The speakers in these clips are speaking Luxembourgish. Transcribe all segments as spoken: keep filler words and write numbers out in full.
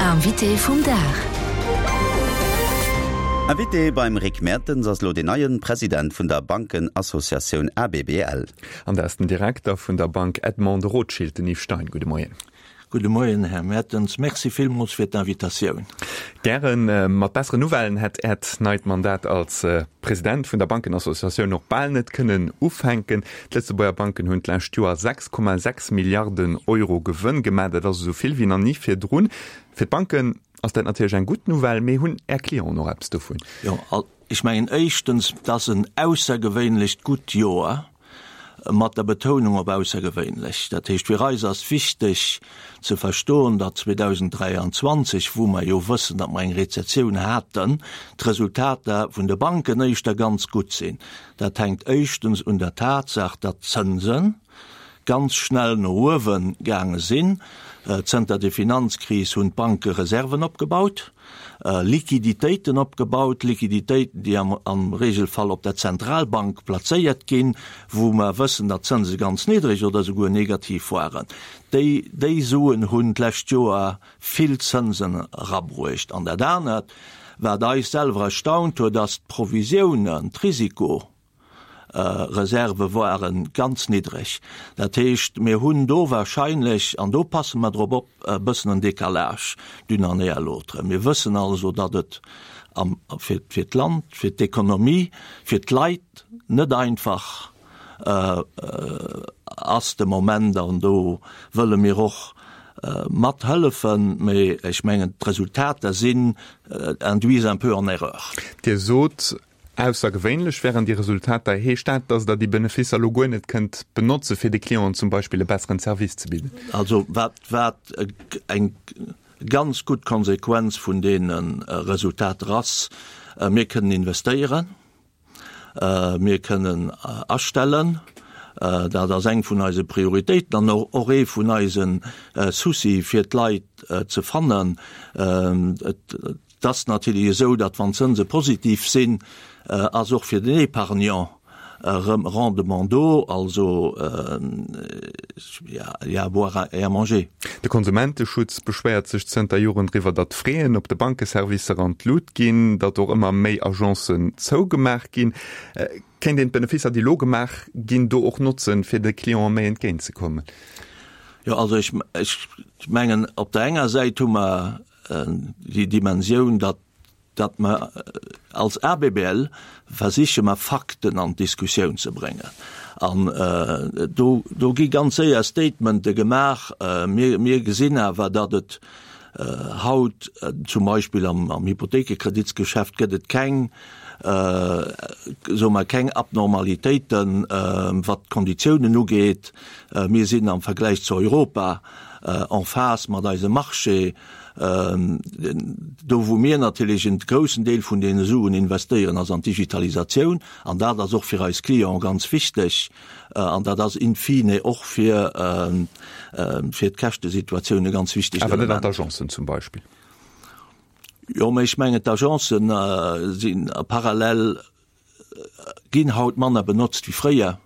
Invité vum Dag. Invité beim Rick Mertens ass lo den neien President vun der Bankenassociatioun A B B L. An dat ass den Direkter vun der Bank Edmond de Rothschild, den Yves Stein. Gudde Moien. Gudde Moien, Här Mertens. Merci villmools fir d'Invitatioun. Gären. Äh, mat besseren Nouvellen hätt Äert neit Mandat als äh, President vun der Bankenassociatioun och bal net kënnen ufänken. D'Lëtzebuerger Banken hunn d'lescht Joer sechs Komma sechs Milliarden Euro Gewënn gemaach, dat ass esou vill wéi nach ni virdrun. Fir d'Banken ass dat natierlech eng gutt Nouvelle, mee hunn Är Clienten och eppes dovun? Jo, ech mengen éischtens, dat ass en aussergewéinlecht gutt Joer, mat der Betounung op aussergewéinlech. Dat heescht, fir eis ass wichteg ze verstoen, datt zweedausend dräianzwanzeg, wou mer jo wëssen, datt mer eng Rezessioun haten, d'Resultater vun de Banken éischter ganz gutt sinn. Dat hänkt éischtens un der Tatsaach, datt d'Zënse ganz schnell no uewe gaange sinn. Zënter der Finanzkris hunn d'Banke Reserven opgebaut, Liquiditéiten opgebaut, Liquiditéiten, déi am, am Regelfall op der Zentralbank plazéiert ginn, wou mer wëssen, datt d'Zënse ganz niddreg oder souguer negativ waren. Déi, déi Suen hunn d'lescht Joer vill Zënsen erabruecht. An dat anert, wat eis selwer erstaunt huet, ass d'Provisiounen, d'Risiko Reserve ware ganz niddreg. Dat heescht, mir hunn do warscheinlech, an do passe mer drop op, e bëssen en Décalage d'une année à l'autre. Mir wëssen also, datt et am, fir, fir d'Land, fir d'Ekonomie, fir d'Leit net einfach äh, äh, ass de Moment, an do wëlle mir och äh, mathëllefen, mee ech mengen, d'Resultater sinn äh, induisent un peu en erreur. Dir sot, aussergewéinlech wären déi Resultater. Heescht dat, datt Der déi Beneficer lo guer net kënnt benotze fir de Clienten zum Beispill e besseren Service ze bidden? Also wat wat eng ganz gutt Konsequenz vun deene Resultater ass, mir kënnen investéieren, mir kënnen astellen, dat ass eng vun eise Prioritéiten an och ee vun eise Soucie fir d'Leit ze fannen. Et ass natierlech esou, datt wann d'Zënse positiv sinn, ass och fir den Épargnant erëm Rendement do, also il y a à boire et à manger. De Konsumenteschutz beschwéiert sech zënter Joren driwwer, datt d'Fraisen op de Bankeservicer an d'Lut ginn, datt och ëmmer méi Agencen zougemaach ginn. Kéint een d'Beneficer, déi lo gemaach ginn, do och notzen, fir de Cliente méi entgéintzekommen? Jo, also ech, ech mengen, op der enger Säit hu mer déi Dimensioun, datt datt mer als A B B L versiche mer Fakten an d'Diskussioun ze bréngen. An äh, do, do gi ganz séier Statemente gemaach. Äh, mir, mir gesinn awer, datt et äh, haut äh, zum Beispill am, am Hypothekekreditsgeschäft gëtt et keng äh, soe mer keng Abnormalitéiten, äh, wat d'Konditiounen ugeet. Äh, mir sinn am Vergläich zu Europa äh, en phase mat eisem Marché. Ähm, do wou mir natierlech en groussen Deel vun deene Suen investéieren, ass an d'Digitalisatioun, an dat ass och fir eis Clienten ganz wichteg, äh, an dat ass in fine och fir äh, äh, fir d'Käschtesituatioun e ganz wichtegt Awer net an d'Agencen zum Beispill? Jo, mee ech mengen, d'Agencen äh, sinn parallel ginn haut manner benotzt wéi fréier.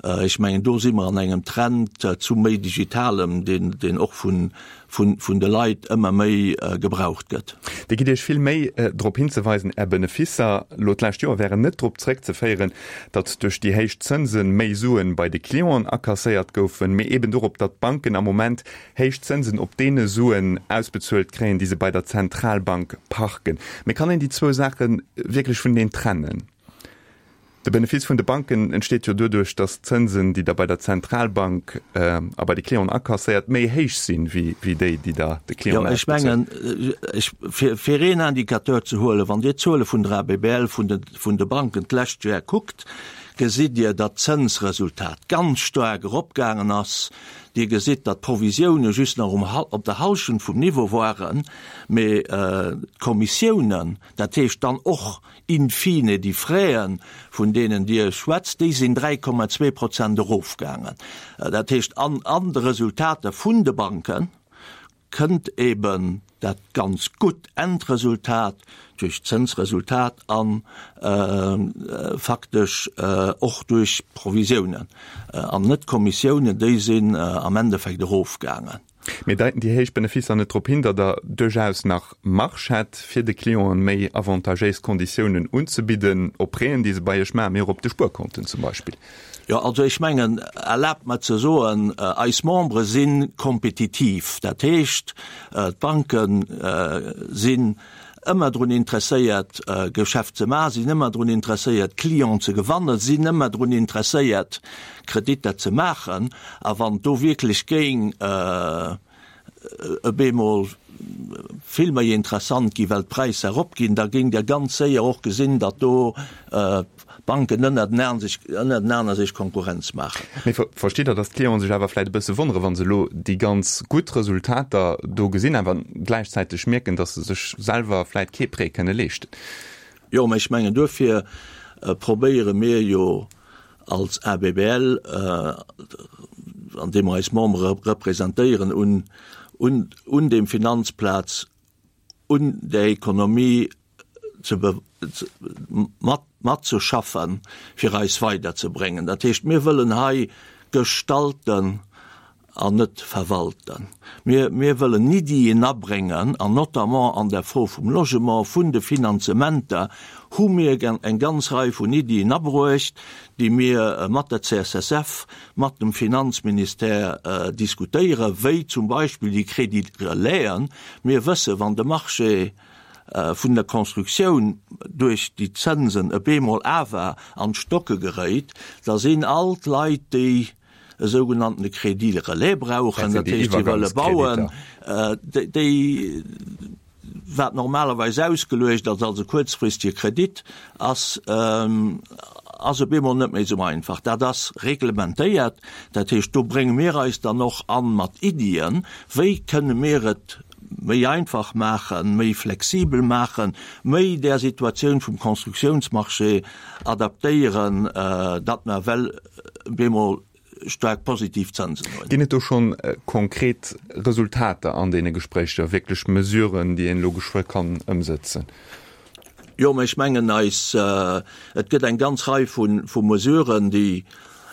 Ech mengen, do si mer an engem Trend zu méi Digitalem, deen, deen och vun, vun, vun de Leit ëmmer méi gebraucht gëtt. Dir gitt Iech vill Méi drop hinzeweisen, Är Beneficer lo d'lescht Joer wären net drop zréckzeféieren, datt duerch déi héich Zënse méi Suen bei de Clienten akasséiert goufen, mee eben dorop, datt d'Banken am Moment héich Zënsen op deene Suen ausbezuelt kréien, déi se bei der Zentralbank parken. Mee kann een déi zwou Saache wierklech vuneneen trennen? De Benefice vun de Banken entsteet jo doduerch, datt d'Zënsen, déi Der bei der Zentralbank a bei de Clienten akasséiert, méi héich sinn, wéi déi, déi Der de Clienten ausbezuelt. Jo, ech mengen, ech, fir, fir een Indicateur ze huelen, wann Dir d'Zuele vun der A B B L vun de, vun de Banken d'lescht Joer kuckt, gesitt Dir, datt d'Zënsresultat ganz staark eropgaangen ass. Dir gesitt, datt d'Provisioune just nach um, op der Hallschent vum Niveau waren, mee d'Kommissiounen, dat heescht dann och in fine déi Fraisen, vun deenen Dir schwätzt, déi sinn dräi Komma zwee Prozent erofgaangen. Dat heescht, an, an de Resultater vun de Banke kënnt eben dat ganz gutt Endresultat duerch d'Zënsresultat an faktesch och duerch Provisiounen, an net d'Kommissiounen, déi sinn am Endeffekt erofgaangen. Mee deiten déi héich Benefisser net drop hin, datt Der duerchaus nach Marge hätt, fir de Clienten méi avantagéis Konditiounen unzebidden, op Prêten, déi se bei Iech maachen, mee och op de Spuerkonten zum Beispill? Jo, also ech mengen, erlaabt mer ze soen, eis Membere si kompetitiv. Dat heescht, d'Banke sinn ëmmer drun interesséiert, Geschäft ze maachen, sinn ëmmer drun interesséiert, Clienten ze gewannen, sinn ëmmer drun interesséiert, Kreditter ze maachen. A wann do wierklech géing op eemol vill méi interessant gi well d'Präisser eropginn, da géingt Der ganz séier och gesinn, datt do d'Banken ënnertenaner sech Konkurrenz maachen. Mee verstitt Der, datt d'Clienten sech awer vläicht e bësse wonnere wa se elo déi ganz gutt Resultater do gesinn, awer gläichzäiteg mierken, datt se sech selwer vläicht kee Prêt kënne leeschten? Jo, mä ech mengen, duerfir probéiere mir jo als ABBL, andeem mer eis Membere representéieren, un dem Finanzplaz, un der Ekonomie ze matzeschaffen, fir eis weiderzebréngen. Dat heescht, mir wëllen hei gestalten an net verwalten. Mir, mir wëllen Iddien abréngen, an notamment an der Fro vum Logement, vun de Finanzementer hu mir eng ganz Rei vun Iddien abruecht, déi mir mat der C S S F, mat dem Finanzministère diskutéieren, wéi zum Beispill déi Crédit-relaisen. Mir wëssen, wann de Marché vun der Constructioun duerch déi Zënsen op eemol awer an d'Stocke geréit, da sinn all d'Leit, déi e sougenanntene Crédit relais brauchen, dat heescht, déi wëlle bauen, déi, wat normalerweis ausgeluecht ass als e kuerzfristige Kredit, ass, ass op eemol net méi esou einfach. Dat ass reglementéiert, dat heescht, do brénge mir eis dann och an mat Iddien, wéi kënne mir et méi einfach maachen, méi flexibel maachen, méi där Situatioun vum Constructiounsmarché adaptéieren, datt mer well op eemol staark positiv Zënsen hunn. Ginn et do schonn konkret Resultater an deene Gespréicher, wierklech Mesuren, déi een elo geschwë kann ëmsëtzen? Jo, mä ech mengen eis, et gëtt eng ganz Rei vu Mesuren, déi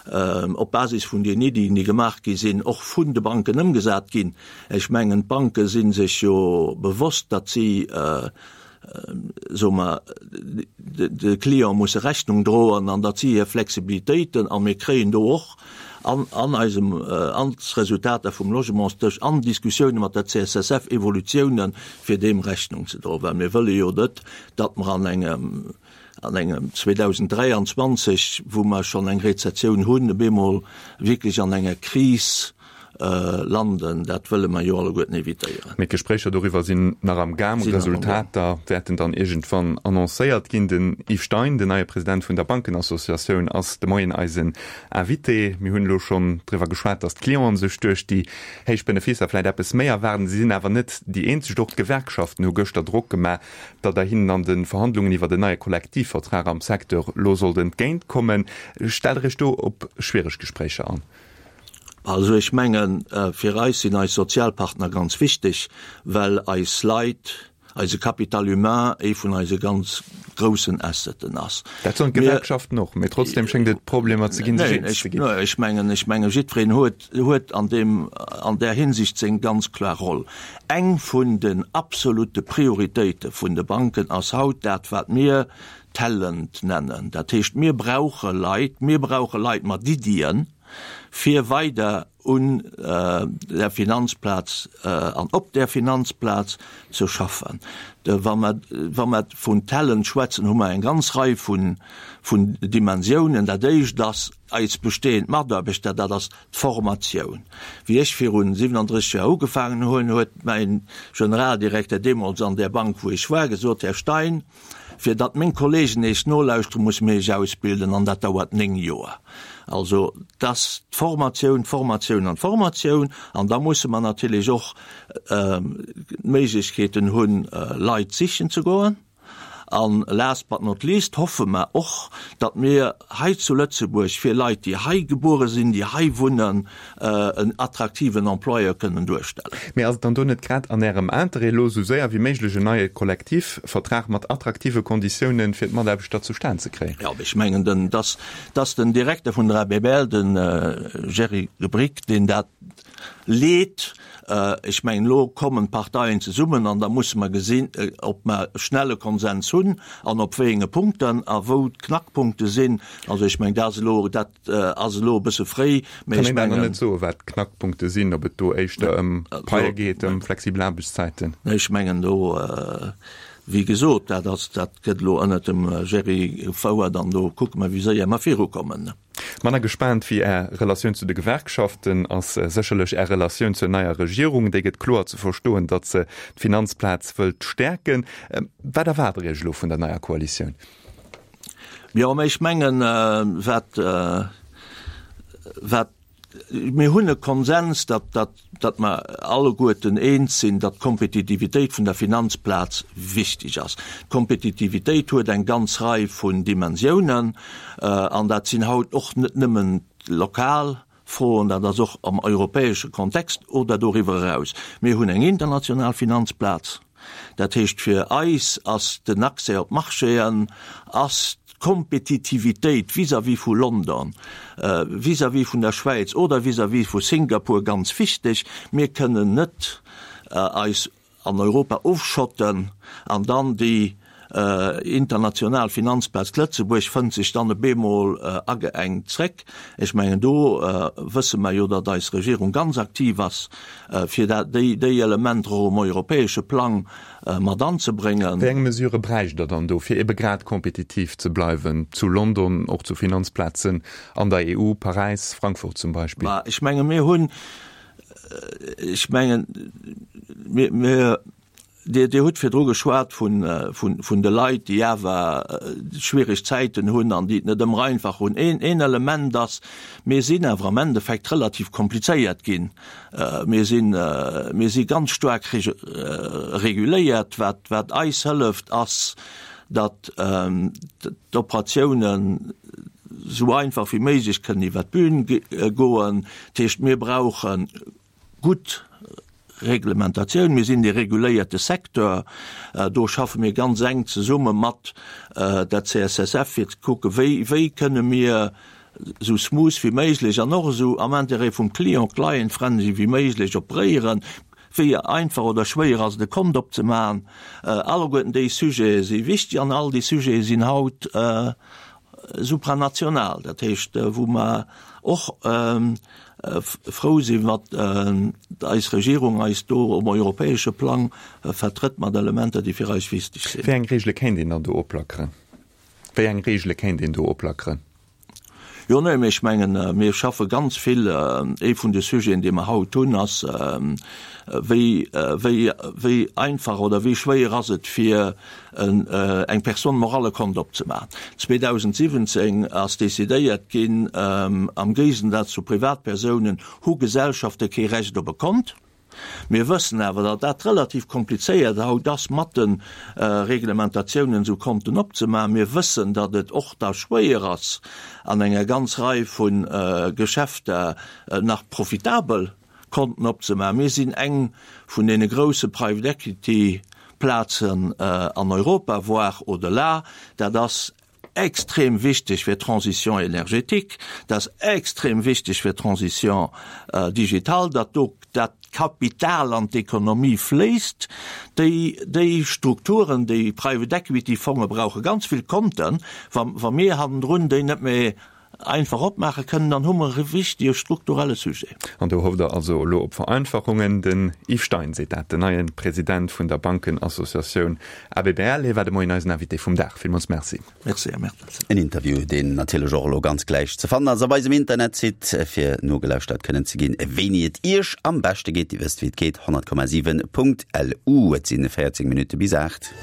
op Basis vun den Iddien, déi gemaach gi sinn, och vun de Banken ëmgesat ginn. Ech mengen, d'Banke si sech jo bewosst, datt si, soe mer, de Client musse Rechnung droen an datt si hir Flexibilitéiten, a mir kréien do och an an eisem, an d'Resultater vum Logementsdësch, an Diskussioune mat der C S S F Evolutiounen, fir deem Rechnung ze droen, well mir wëlle jo net, datt mer an engem, an engem zweedausenddräianzwanzeg, wou mer schonn eng Rezessioun hunn, op eemol wierklech an enger Kris landen. Dat wëlle mer jo alleguerten evitéieren. Mee d'Gespréicher doriwwer sinn nach am Gaang. Resultater wäerten dann iergendwann annoncéiert ginn. Den Yves Stein, den neie President vun der Bankenassociatioun, ass de Moien eisen Invité. Mir hunn elo schonn driwwer geschwat, datt d'Clienten sech duerch déi héich Beneficer vläicht eppes méi erwaarden. Si sinn awer net déi eenzeg. Och d'Gewerkschaften hu gëschter Drock gemaach, datt Der hinnen an de Verhandlungen iwwer en neie Kollektivvertrag am Secteur elo sollt entgéint kommen. Stellt Der Iech do op schwiereg Gespréicher an? Also ech mengen, fir eis sinn eis Sozialpartner ganz wichteg, well eis Leit, eise Capital humain ee vun eise ganz groussen Asseten ass. Dat soen d'Gewerkschaften och, mee trotzdem schéngt et Problemer ze ginn, sech eens ze ginn. Neen, ech mengen, ech mengen, jiddwereen huet, huet an deem, an där Hinsicht seng ganz kloer Roll. Eng vun den absolute Prioritéite vun de Banken ass haut dat, wat mir Talent nennen. Dat heescht, mir brauche Leit, mir brauche Leit mat Iddien, fir weider un der Finanzplaz an op der Finanzplaz ze schaffen. Wa mer, wa mer vun Talent schwätzen, hu mer eng ganz Rei vun, vun Dimensiounen. Dat éischt ass eis bestehend Mataarbechter, dat ass d'Formatioun. Wéi ech virun siwenandrësseg Joer ugefaangen hunn, huet mäin Generaldirekter deemools an där Bank, wou ech war, gesot, Här Stein, fir datt meng Kollegen Iech nolauschteren, musse mir Iech ausbilden, an dat dauert néng Joer. Also, et ass d'Formatioun, d'Formatioun an d'Formatioun. An da musse mer natierlech och d'Méiglechkeeten hunn, Leit sichen ze goen. An last but not least hoffe mer och, datt mir hei zu Lëtzebuerg fir Leit, déi hei gebuere sinn, déi hei wunnen, en attraktiven Employeur kënnen duerstellen. Mee ass et dann do net grad an Ärem Interêt, elo esou séier wéi méiglech en neie Kollektivvertrag mat attraktive Konditiounen fir d'Mataarbechter zustan ze kréien? Jo, ech mengen, den, dass, dass den Direkter vun der A B B L, de Jerry Rubrik, deen dat leet. Ech mengen, elo kommen d'Parteien zesummen an da musse mer gesinn, ob mer schnell e Konsens hunn an op wéi enge Punkten a wou d'Knackpunkte sinn. Also ech mengen, dat ass elo, dat ass elo e bësse fréi, mä ech mengen. Kann een dat nach net soen, wat d'Knackpunkte sinn, ob et do éischter ëm Paie geet, ëm flexibel Aarbechtszäiten? Ech mengen do, wéi gesot, dat ass, dat gëtt elo ënnert dem Jerry gefouert an do kucke mer, wéi séier mer virukommen. Manner gespaant wéi Är Relatioun zu de Gewerkschaften ass sécherlech Är Relatioun zur neier Regierung. Déi gëtt kloer ze verstoen, datt se d'Finanzplaz wëllt stäerken. Wat erwaart Der Iech elo vun der neier Koalitioun? Jo, mä ech mengen, wat, wat Mir hunn e Konsens, datt, datt, datt mer alleguerten eens sinn, datt d'Kompetitivitéit vun der Finanzplaz wichteg ass. D'Kompetitivitéit huet eng ganz Rei vun Dimensiounen, an dat sinn haut och net nëmmen lokal Froen, dat ass och am europäesche Kontext oder doriwwer eraus. Mir hunn eng international Finanzplaz. Dat heescht, fir eis ass den Accès op d'Marchéen, ass d'Kompetitivitéit vis-à-vis vu London, vis-à-vis vun der Schwäiz oder vis-à-vis vu Singapur ganz wichteg. Mir kënnen net eis an Europa ofschotten an dann déi international Finanzplaz Lëtzebuerg fënnt sech dann e bemol ageengt zréck. Ech mengen, do wësse mer jo, datt eis Regierung ganz aktiv ass, fir dat, déi, déi Elementer och um europäesche Plang mat anzebréngen. Wéi eng Mesurë bräicht Der dann do, fir ebe grad kompetitiv ze bleiwen zu London, och zu Finanzplazen an der E U, Paräis, Frankfurt zum Beispill? Mä ech menge mir hunn, ech mengen, mir, mir, Dir, Dir hutt virdru geschwat vun, vun, vun de Leit, déi awer schwiereg Zäiten hunn an déi et net ëmmer einfach hunn. Een, een Element ass, mir sinn awer am Endeffekt relativ komplizéiert ginn. Mir sinn, mir si ganz staark reguléiert. Wat, wat eis hëlleft, ass, datt d'Operatiounen esou einfach wéi méiglech kënnen iwwert d'Bün goen. Dat heescht, mir brauche gutt Reglementatioun. Mir sinn dee reguléierte Secteur. Do schaffe mir ganz enk zesumme mat der C S S F, fir ze kucken, wéi, wéi kënne mir esou smooth wéi méiglech an och esou am Intérêt vum Client, client-friendly wéi méiglech operéieren. Wéi einfach oder schwéier ass et, e Kont opzemaachen? Alleguerten déi Sujete si wichteg an all déi Sujete sinn haut supranational, dat heescht, wou mer och frou sinn, wat eis Regierung eis do um europäesche Plang vertrëtt mat Elementer, déi fir eis wichteg sinn. Wéi eng Regele kéint een dann do oplackeren? Wéi eng Regele kéint een do oplackeren? Jo, nee, mee ech mengen, mir schaffe ganz vill. Ee vun de Sujeten, dee mer haut hunn, ass, wéi, wéi, wéi einfach oder wéi schwéier ass et, fir en, eng Personne morale e Kont opzemaachen. zweedausendsiwwenzéng ass decidéiert ginn, am Géigensaz zu Privatpersounen hu Gesellschafte kee Recht op e Kont. Mir wëssen awer, datt dat relativ komplizéiert haut ass, mat de Reglementatiounen esou Konten opzemaachen. Mir wëssen, datt et och da schwéier ass, an enger ganz Rei vu Geschäfter nach profitabel Konten opzemaachen. Mir sinn eng vun deene grouse Private Equity Plazen an Europa, voire au-delà. Dat ass extrem wichteg fir d'Transition énergétique, dat ass extrem wichteg fir d'Transition digitale, datt do dat Kapital an d'Ekonomie fléisst. Déi, déi Strukturen, déi Private Equity Fonge brauche ganz vill Konten. Wa, wa mir hannendrun déi net méi einfach opmaache kënnen, dann hu mer e wichtege strukturelle Sujet. An do hofft Der also elo op Vereinfachungen. Den Yves Stein seet dat, den neie President vun der Bankenassociatioun A B B L. Hie war de Moien eisen Invité vum Dag. Villmools Merci. Merci, Här Mertens. En Interview, deen natierlech och elo ganz gläich ze fannen ass op eisem Internetsite, fir nogelauschtert kënnen ze ginn, wéini et Iech am beschte geet. Dir wësst, wéi et geet, honnert Komma siwen Punkt L U. Et sinn véierzéng Minutte bis aacht.